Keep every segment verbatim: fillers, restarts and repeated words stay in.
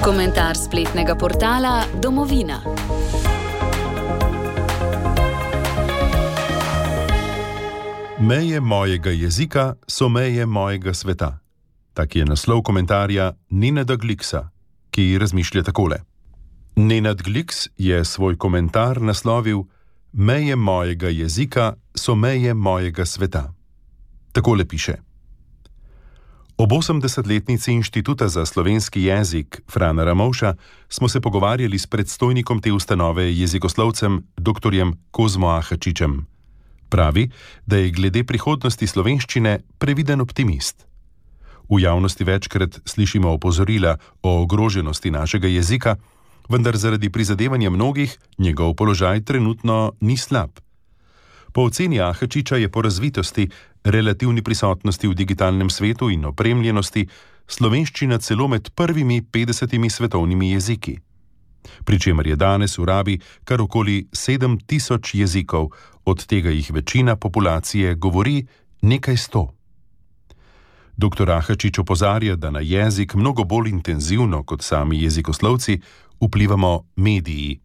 Komentar spletnega portala Domovina. Meje mojega jezika so meje mojega sveta. Tak je naslov komentarja Nenada Gliksa, ki razmišlja takole. Nenad Gliks je svoj komentar naslovil Meje mojega jezika so meje mojega sveta. Takole piše. Ob osemdesetletnici Inštituta za slovenski jezik Frana Ramovša smo se pogovarjali s predstojnikom te ustanove jezikoslovcem doktorjem Kozmo Ahačičem. Pravi, da je glede prihodnosti slovenščine previden optimist. V javnosti večkrat slišimo opozorila o ogroženosti našega jezika, vendar zaradi prizadevanja mnogih njegov položaj trenutno ni slab. Po oceni Ahačiča je po razvitosti, relativni prisotnosti v digitalnem svetu in opremljenosti slovenščina celo med prvimi petdesetimi svetovnimi jeziki. Pričemer je danes v rabi kar okoli sedem tisoč jezikov, od tega jih večina populacije govori nekaj sto. Doktor Ahačič opozarja, da na jezik mnogo bolj intenzivno kot sami jezikoslovci vplivamo mediji.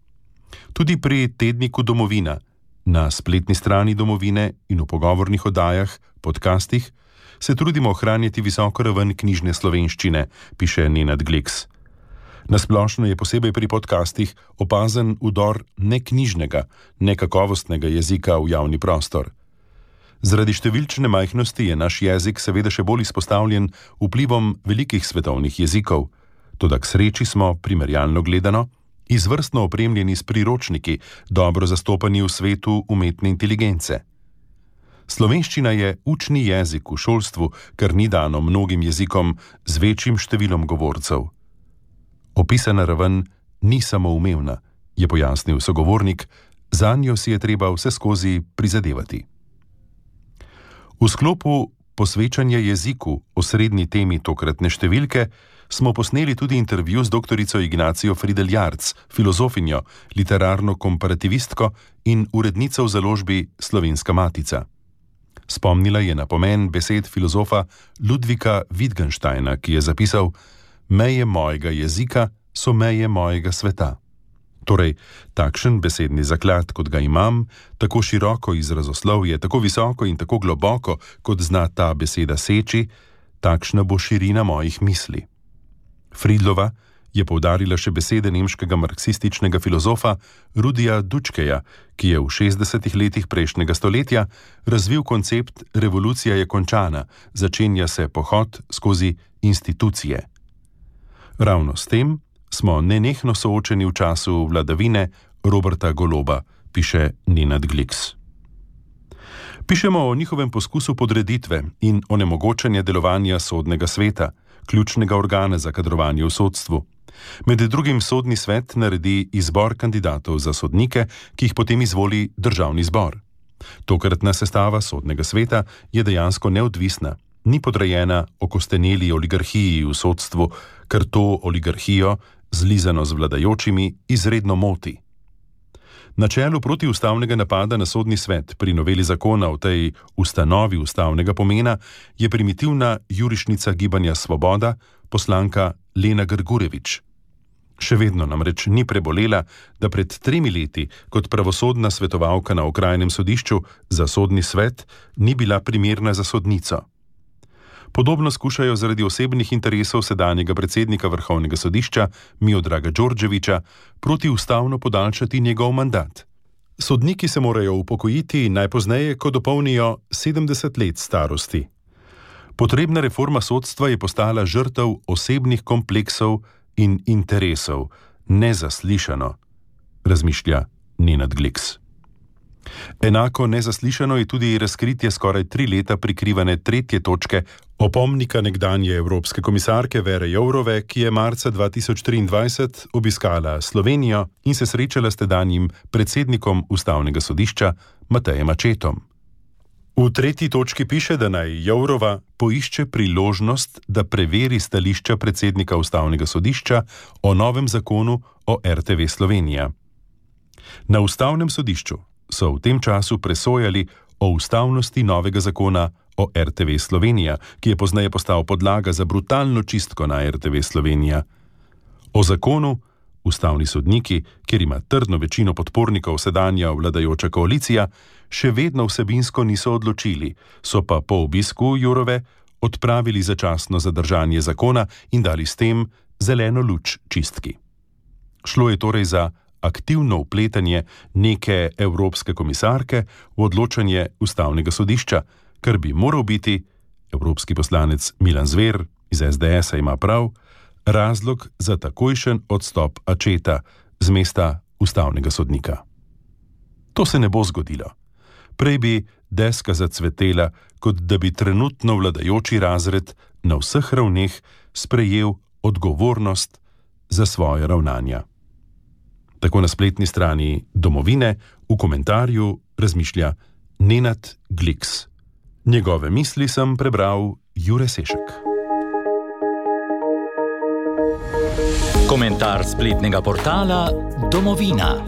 Tudi pri tedniku Domovina, na spletni strani Domovine in v pogovornih oddajah, podcastih, se trudimo ohranjati visoko raven knjižne slovenščine, piše Nenad Gliks. Nasplošno je posebej pri podcastih opazen vdor neknjižnega, nekakovostnega jezika v javni prostor. Zaradi številčne majhnosti je naš jezik seveda še bolj izpostavljen vplivom velikih svetovnih jezikov, toda k sreči smo, primerjalno gledano, izvrstno opremljeni s priročniki, dobro zastopani v svetu umetne inteligence. Slovenščina je učni jezik v šolstvu, kar ni dano mnogim jezikom z večjim številom govorcev. Opisana raven ni samoumevna, je pojasnil sogovornik, zanjo si je treba vseskozi prizadevati. V sklopu posvečanja jeziku, osrednji temi tokratne številke, smo posneli tudi intervju z doktorico Ignacijo Fridel Jarc, filozofinjo, literarno komparativistko in urednico v založbi Slovenska matica. Spomnila je na pomen besed filozofa Ludvika Wittgensteina, ki je zapisal: Meje mojega jezika so meje mojega sveta. Torej, takšen besedni zaklad, kot ga imam, tako široko izrazoslovje, tako visoko in tako globoko, kot zna ta beseda seči, takšna bo širina mojih misli. Fridlova je poudarila še besede nemškega marksističnega filozofa Rudija Dučkeja, ki je v šestdesetih letih prejšnjega stoletja razvil koncept revolucija je končana, začenja se pohod skozi institucije. Ravno s tem smo nenehno soočeni v času vladavine Roberta Goloba, piše Nenad Gliks. Pišemo o njihovem poskusu podreditve in onemogočanja delovanja sodnega sveta, ključnega organa za kadrovanje v sodstvu. Med drugim sodni svet naredi izbor kandidatov za sodnike, ki jih potem izvoli državni zbor. Tokratna sestava sodnega sveta je dejansko neodvisna, ni podrejena okosteneli oligarhiji v sodstvu, ker to oligarhijo, zlizano z vladajočimi, izredno moti. Na čelu protiustavnega napada na sodni svet pri noveli zakona o tej ustanovi ustavnega pomena je primitivna jurišnica Gibanja Svoboda, poslanka Lena Grgurevič. Še vedno namreč ni prebolela, da pred tremi leti kot pravosodna svetovalka na okrajnem sodišču za sodni svet ni bila primerna za sodnico. Podobno skušajo zaradi osebnih interesov sedanjega predsednika Vrhovnega sodišča Miodraga Đorđevića protiustavno podaljšati njegov mandat. Sodniki se morajo upokojiti najpozneje, ko dopolnijo sedemdeset let starosti. Potrebna reforma sodstva je postala žrtev osebnih kompleksov in interesov, nezaslišano, razmišlja Nenad Gliks. Enako nezaslišano je tudi razkritje skoraj tri leta prikrivane tretje točke opomnika nekdanje evropske komisarke Vere Jourove, ki je marca dva tisoč triindvajset obiskala Slovenijo in se srečala s tedanjim predsednikom Ustavnega sodišča Matejem Accettom. V tretji točki piše, da naj Jourova poišče priložnost, da preveri stališča predsednika Ustavnega sodišča o novem zakonu o R T V Slovenija. Na Ustavnem sodišču so v tem času presojali o ustavnosti novega zakona o R T V Slovenija, ki je pozneje postal podlaga za brutalno čistko na R T V Slovenija. O zakonu ustavni sodniki, kjer ima trdno večino podpornikov sedanja vladajoča koalicija, še vedno vsebinsko niso odločili, so pa po obisku Jourove odpravili začasno zadržanje zakona in dali s tem zeleno luč čistki. Šlo je torej za aktivno vpletanje neke evropske komisarke v odločanje ustavnega sodišča, kar bi moral biti, evropski poslanec Milan Zver iz es de esa ima prav, razlog za takojšen odstop Acceta z mesta ustavnega sodnika. To se ne bo zgodilo. Prej bi deska zacvetela, kot da bi trenutno vladajoči razred na vseh ravneh sprejel odgovornost za svoje ravnanja. Tako na spletni strani Domovine v komentarju razmišlja Nenad Gliks. Njegove misli sem prebral Jure Sešek. Komentar spletnega portala Domovina.